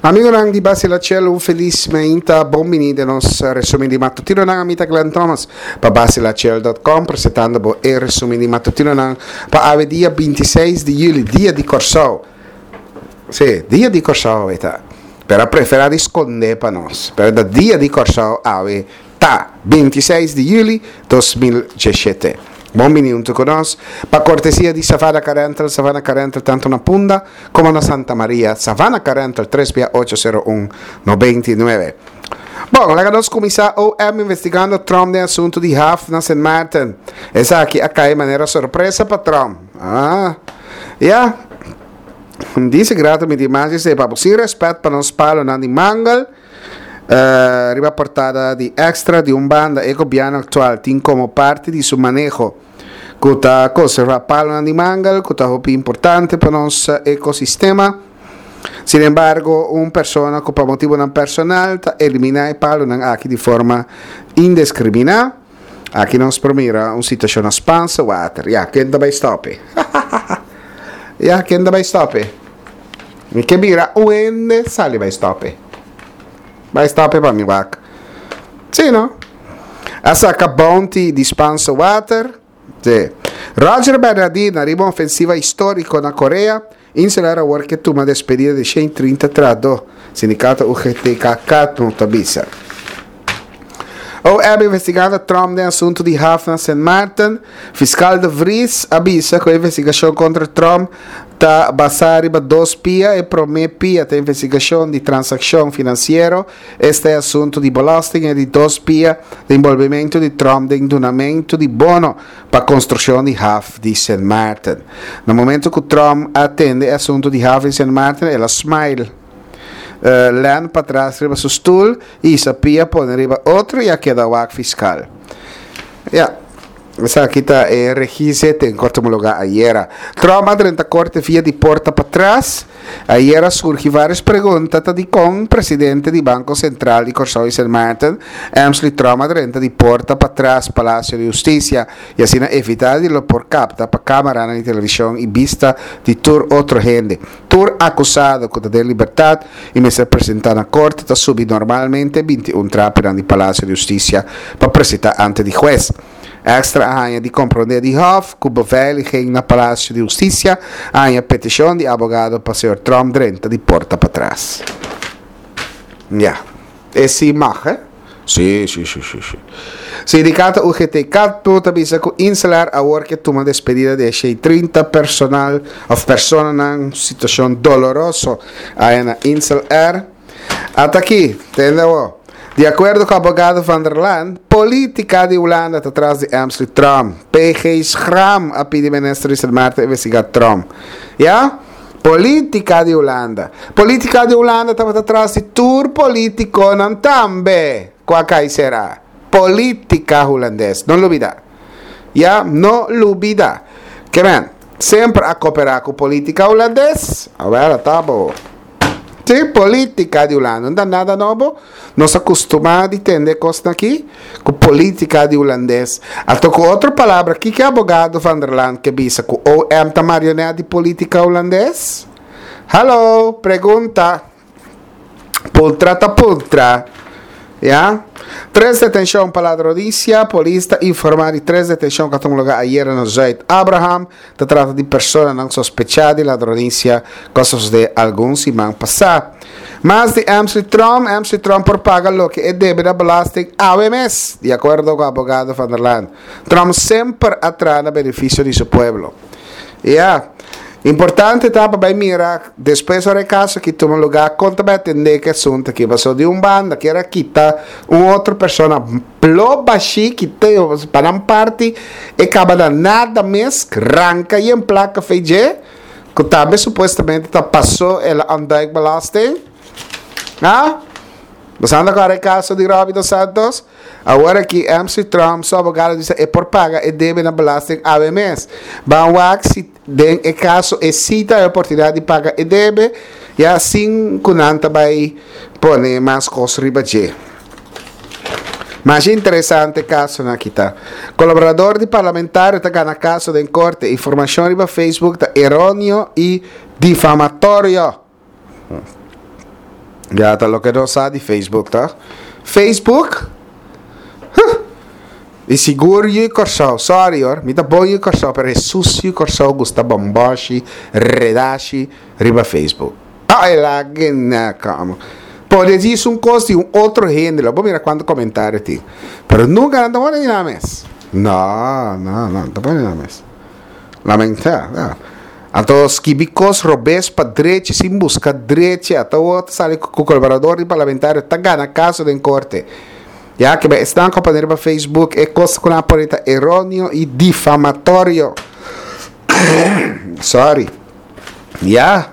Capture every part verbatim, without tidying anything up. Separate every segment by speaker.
Speaker 1: Amigonan di Basila Chel, un felis mainta, bon bini den nos resumen di matutinonan. Ami ta Glenn Thomas pa basilachel punto com, presentando bo e resumen di matutinonan pa awe dia binti seis di juli, dia di Kòrsou. Sí, dia di Kòrsou awe ta. Pero a prefera di skonde pa nos. Pero ta dia di Kòrsou awe ta, binti seis di juli dos mil diesshete. Bon bini huntu ku nos pa kortesia di Savannah Car Rental. Savannah Car Rental tantu na Punda komo na Santa Maria. Savannah Car Rental, tres bia ocho sero un noventa i nuebe. Bon, laga nos kuminsá. O M investigando Trump den asuntu di haf na Sint Maarten. Esaki a kai manera sorpresa pa Trump. Ah, ya. Dice grato mi di mas dice, papo, sin respet pa nos palonan di mangel. Eh, riba portada di Extra, di un banda e gobierno actual tin como parte di su maneho ku ta conserva palonan di mangel, ku ta hopi importante pa nos ecosistema. Sin embargo, un persona ku pa motivonan personal ta elimina e palonan aki di forma indiscrimina. Aki nos por mira un situacion na Spaanse Water. Ja, ken ta bai stoppe? Ja, ken ta bai stoppe? Mi ke mira un hende sali bai stoppe. Bai stoppe pa mi wak. Sí, no? A saca bounty di Spaanse Water. Sí. Roger Bernadina riba ofensiva histórico na Corea. Insular awor que toma despedida de cien trinta trado. Sindicato U G T K K no tabisa. O M investigando Trump den asunto di haf na Sint Maarten. Fiscal de Vries avisa que a investigación contra Trump ta basada riba dos pia. E prome pia ta investigación di transacción financiero. Este asunto di belasting e di dos pia de envolvimento di Trump den donamento di bono pa construcción di haf di Sint Maarten. No momento que Trump atende asunto di haf di Sint Maarten, ela smile. Uh, len pa atrás riba su stoel y sa pia pone riba otro y a queda wak fiscal. Ja, esaki ta e registro en corte homologa ayer. Trump a drenta corte via di porta pa atrás. Ayer surgi varias preguntas ta di con presidente di Banco Central di Kòrsou y Sint Maarten, Emsley Trump a drenta di porta pa atrás Palacio de Justicia y asina evita di lo por capta pa cámara na televisión y vista di tur otro gente. Tur acusado ku ta de libertad y me se presenta na corte ta subi normalmente veintiún traperan di Palacio de Justicia pa presentar ante di juez. Extra aña di comprender di Hof, ku beveiliging na Palacio de Justicia, aña petición di abogado pa señor Trump drenta di porta pa atrás. Ja, es sí mag, hè? Sí, sí, sí, sí, sí. Sindicato U G T K ta bisa ku Insular awor que toma despedida de seis treinta personal of persona na situación doloroso ahí na Insel Air. Hasta aquí, entendeu? De acuerdo com o abogado Van der Laan, política de Holanda está atrás de Emsley Trump. P G Schram a pedir ministro de Sint Maarten investigar Trump. Ja? Política de Holanda. Política de Holanda estava atrás de tour político não tambe. Qual será? Política holandês. Não olvida. Ja? Não olvida. Que bem, sempre a cooperar com política holandês. Agora tá bom. Sí, política de Holanda. Não dá nada novo. Nos acostumamos a entender coisas aqui com política de holandês. Até com outra palavra, que que é abogado Van der Laan que bisa com O M tá marionete de política holandês? Hello, pergunta. Pultra ta pultra. Ya? Tres detención para ladronicia. Polista informar de tres detención que tuvo lugar ayer en Zuid Abraham. Se trata de personas não sospechadas de ladronicia, cosas de algún semana pasada. Más de Emsley Trump, Emsley Trump por paga lo que debe de belasting A M S, de acuerdo con el abogado Van der Laan. Trump siempre atrae beneficio de su pueblo. Ya. Importante tá para mirar después del caso que toma lugar conta para atender que asunto que pasó de un banda que era quitar una otra persona plo baixi que tem para um parte e acaba da nada mes ranca e em placa feije que também supostamente tá passou ela ontduikbelasting. Ah? Você anda com o caso de Robbie dos Santos? Agora que M C Trump, seu abogado, disse, é por paga e deve na belasting A M S. Van Wax, se den e caso, e cita a oportunidade de pagar e deve, e assim, kunanta vai pôr mais coisas riba de. Mas interessante caso na kita. Colaborador de parlamentario está ganando caso de corte. Informação riba Facebook está errôneo e difamatório. Ya ta loke nos sa di Facebook, ta? Facebook? Huh. I sigur yu Kòrsou. Sorry hoor, mi ta bon yu Kòrsou, pero Jesus yu Kòrsou gusta bòmbòshi, redashi riba Facebook. Ai lag'e na kama. Pone djis un kos di un otro hende, lo bo mira kuantu komentario tin. Pero nunka nan ta pone di nan mes. No, no, no, ta pone di nan mes. Lamentá, ya. Anto skibi kos robes pa drechi sin buska drechi, ata awor ta sali ku kolaborador di parlamentario ta gana kaso den korte. Ya ke esnan ku a pone riba Facebook e kos ku nan a pone ta eroneo i difamatorio. Sorry. Ya.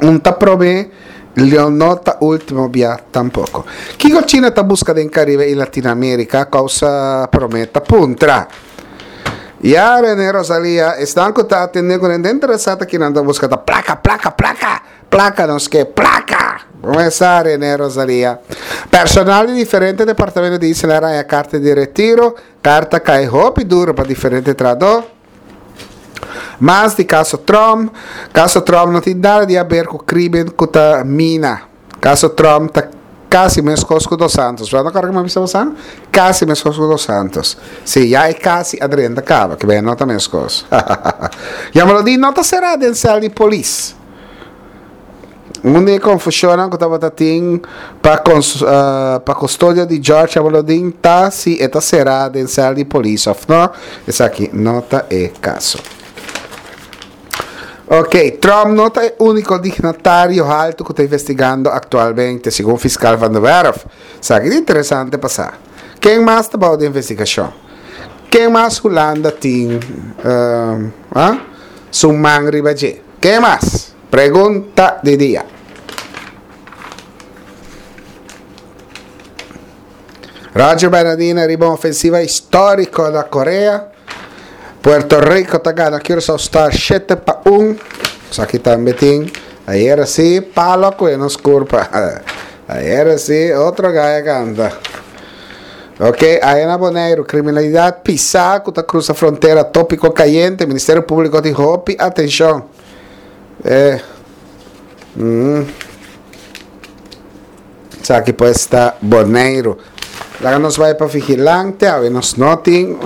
Speaker 1: Un ta promé, lo no ta último bia tampoko. Kiko China ta buska den Karibe i Latinoamerika? Kousa promé ta puntra. Ya, Rene Rosalia, esnan ku ta atendé ku nan ta interesá ta kinan ta buska ta plaka, plaka, plaka! Plaka nos ke, plaka! Kumesa, Rene Rosalia. Personal di diferente departamento di Isla a haña karta di retiro. Karta kai hopi duro pa diferente trahadó. Mas di kaso Trump. Kaso Trump no tin nada di haber ku krimen ku ta mina. Kaso Trump ta kasi meskos ku Dos Santos. Bo no kòrda ku mi a bisa bosan? Kasi meskos ku Dos Santos. Sí, ya e kasi a drenta kaba, ke b'e no ta meskos. Jamaloodin no ta será den sèl di polis. Un di e konfushonnan ku tabata tin pa pa kustodia di George Jamaloodin ta si e ta será den sèl di polis òf no. Esaki no ta e kaso. Ok, Trump no ta e úniko dignatario haltu ku ta investigando aktualmente, segun fiskal Van der Werf. Esaki ta interesante pa sa. Ken mas ta bou di investigashon? Ken mas Hulanda tin uh, su man riba dje? Ken mas? Pregunta di dia. Roger Bernadina riba un ofensiva históriko na Korea. Puerto Rico ta gana Curaçao Star shete pa un. Esaki tambe tin. Ayera sí, palo a kue nos kurpa. Ayera sí, otro gaya kanta. Ok, aya na Boneiru, kriminalidat pisá ku ta krusa frontera, tópiko kayente, Ministerio Públiko tin hopi atenshon. Eh. Mm. Esaki pues ta Boneiru. Laga nos bai pa Vigilante, awe nos no tin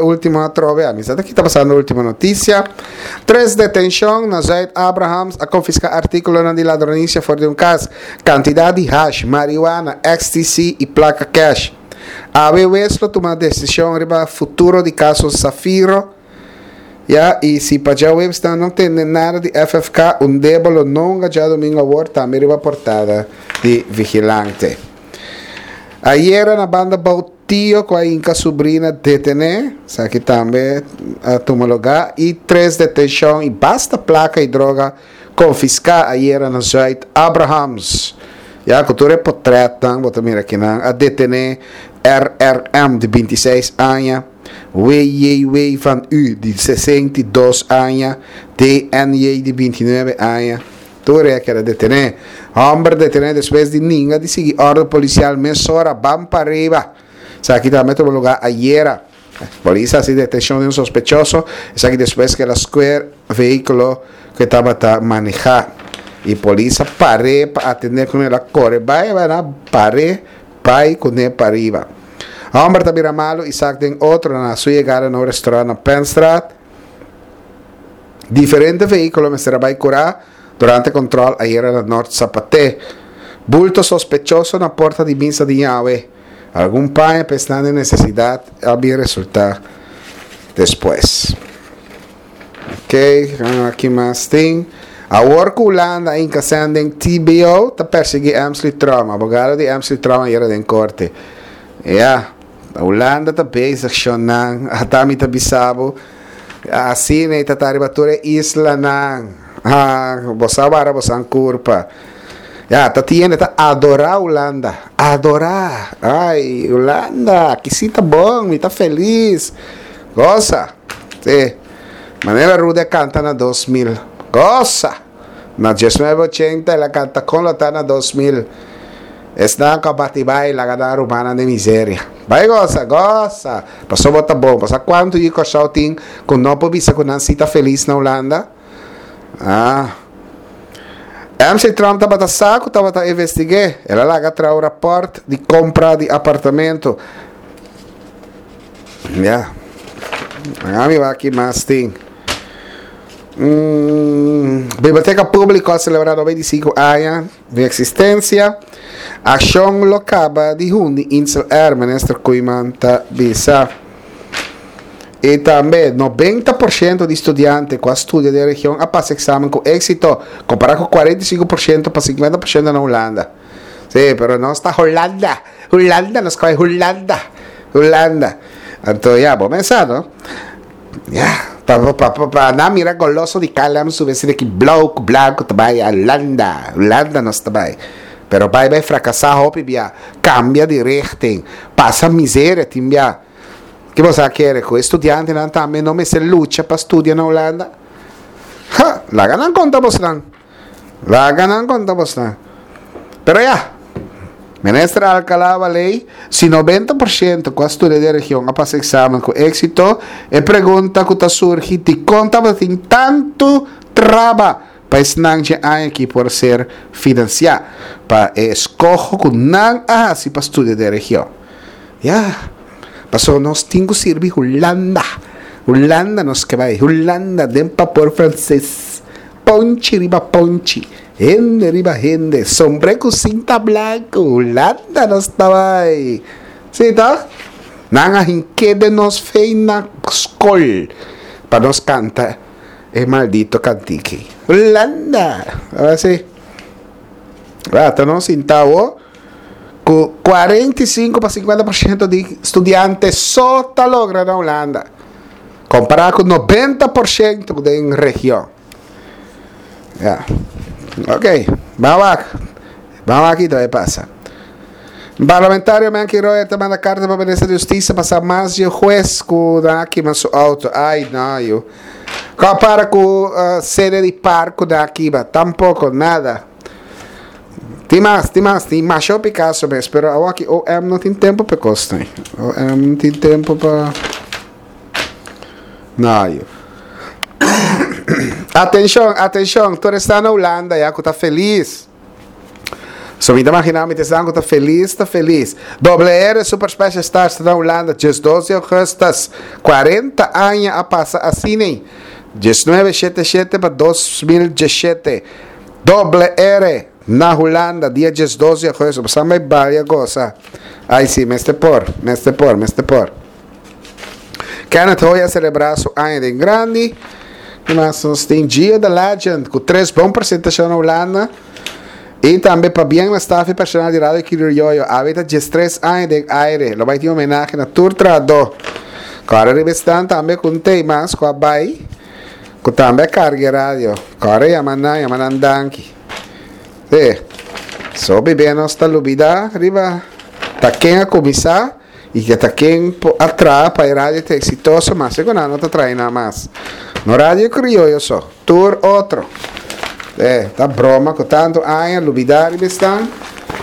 Speaker 1: ultimo atrobe, a mi sa ta kita pasando ultimo noticia. Tres detencion na Zuid Abrahams a confisca articulonan di ladronicia for di un cas, cantidad di hash, marihuana, X T C y placa cash. Awe wes lo tuma decision riba futuro di caso Safiro. Ya, y si pa djaweps nan no tende nada di F F K, un debo lo no hunga djadomingo awor, tambe riba portada di Vigilante. Ayera na banda bou tio cu a hinca subrina detene, esaki tambe a tuma lugar, y tres detencion y basta placa y droga confisca ayera na Zuid Abrahams. Ya, cu tur e potretnan, bo ta mira kinan a detene R R M di binti seis aña, W J W van U di sesenta i dos aña, D N J di binti nuebe aña, tur e a keda detené. Hòmber detené despues di ninga di sigui òrdu polisial mesora ban pariba. Esaki tambe a tuma lugá ayera. Polis a hasi detenshon di un sospechoso, esaki despues ku el a skuer vehíkulo ku e tabata manehá. I polis a par'é pa atendé ku el a kore bai, bai nan a par'é bai kuné pariba. Homber ta bira malu i sak den otro na su yegada na un restaurant na Penstraat. Diferente vehíkulo mester a bai kurá durante kontrol ayera na Nort Sapaté. Bulto sospechoso na porta di misa di Yahweh. Algun paña pa esnan den nesesidat a bin resultá despues. Ok, aki mas tin. Awor ku Hulanda a hinka sèn den T B O, ta persiguí Emsley Trump. Abogado di Emsley Trump a yera den korte. Ya, Hulanda ta bezig shonnan. Ata mi ta bisa bo, asina e ta ta riba tur e islanan. Ha, bo sa wara bo san kurpa. Ya, ta tin hende ta adorá Hulanda. Adorá! Ai, Hulanda, aki si ta bon, mi ta felis. Gosa! Sí. Manera Rudy a kanta na dos mil. Gosa! Na diesnuebe ochenta el a kanta kon lo ta na dos mil. Esnan ku a bati bai laga nan rumannan den miseria. Bai gosa, gosa! Paso bo ta bon. Bo sa kuantu yu Kòrsou tin ku no por bisa ku nan si ta felis na Hulanda? Ah. M C Tromp tabata sa ku tabata investig'é. El a laga traha rapport di kompra di apartamento. Ja. Ami aki mas tin. Mm, Biblioteka Públiko a selebrá nobenta i sinku aña di eksistensia. Akshon lo kaba di hundi Insel Air, Minister Koeiman ta bisa. I tambe nobenta porshento di studiante ku a studia den region a pasa eksamen ku éksito, kompará ku kuarenta i sinku porshento pa sinkuenta porshento na Hulanda. Sí, pero nos ta Hulanda. Hulanda, nos ta Hulanda. Hulanda. Anto, ya, bon pensá, no? Ya, pa pa pa pa na mira goloso di K L M subi aki blauw, blanku, tambe Hulanda. Hulanda nos tambe. Pero bai bai frakasá hopi bia, kambia di richting, pasa miseria tin bia. Ku bo ke ku studiantenan tambe no mester lucha pa studia na Hulanda? Ha, laga nan konta bosnan. Laga nan konta bosnan. Pero ya, Minister Alcalá-Wallé, si nobenta porshento ku a studia den region a pasa eksamen ku éksito, e pregunta ku ta surgi, di kon tin tantu traba pa esnan aki por ser finansiá, pa eskoho ku nan a hasi pa studia den region. Ya, pasó nos tin ku sirbi Hulanda. Hulanda nos ke bai, Hulanda, den bapor franses. Ponchi riba ponchi, hende riba hende, sombré ku sinta blanku, Hulanda nos ta bai. Sí, ta? Nan a hink'é nos fe na skol pa nos kanta e maldito kantika. Hulanda. Awor sí. Ah, anto nos sinta ku kuarenta i sinku pa sinkuenta porshento di studiante so ta logra na Hulanda. Kompará ku nobenta porshento di region. Ja. Ok, ban Ban aki, anto pasa. Parlamentario Menke Royer ta manda karta pa Minister di Hustisia pa sa mas di hues ku aki mas su outo. Ai, no, yo. Kompará ku uh, sede di parke daki, ba, tampoko, nada. Tin mas, tin mas, tin mas Picasso mes, pero aki O M no tin tempu pa kos. O M no tin tempu pa. No, yo. Atenshon, atenshon, tur ta na Hulanda, ya ku ta felis. So mi ta imaginá, mi ta ta felis, ta felis. W R Super Special Stars na Hulanda, diesdos di ougùstùs, kuarenta aña a pasa asina. mil noveshentòs shent'i shete pa dos mil diesshete. W R na Hulanda, dia diesdos di ougùstùs. Bo bai bai gosa. Ai sí, mester por, mester por, mester por. Kenneth Hoy a selebrá su aña di grandi. Mas nos tin Gio the Legend, ku tres bon presentashon na Hulanda. I tambe pabien na staff personal di Radio Krioyo. Awe ta diestres aña den aire. Lo bai tin homenahe na tur trahadó. Awor riba esnan tambe ku tema, ku a bai, ku tambe karga radio. Awor yama nan, yama nan danki. Sí. So bibé nos ta lubidá riba ta ken a kuminsá i ku ta ken a traha pa e radio ta eksitoso, mas ku no ta trahando nada mas. No Radio Krioyo so, tur otro. E, ta broma ku tantu aña lubidá riba esnan.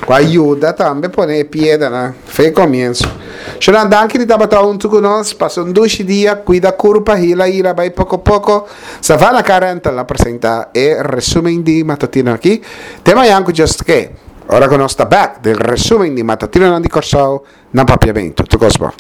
Speaker 1: Ku ayuda tambe pone piedra na fe komienso. Shonan, danki di tabata huntu ku nos. Pasa un dushi dia, kuida kurpa, hila hila, bai poko poko. Savana Car Rental a presentá e resúmen di matutino aki. Te mañan ku Dios ke. Ora ku nos ta back den resúmen di matutino di Kòrsou na Papiamentu. Tur kos bon.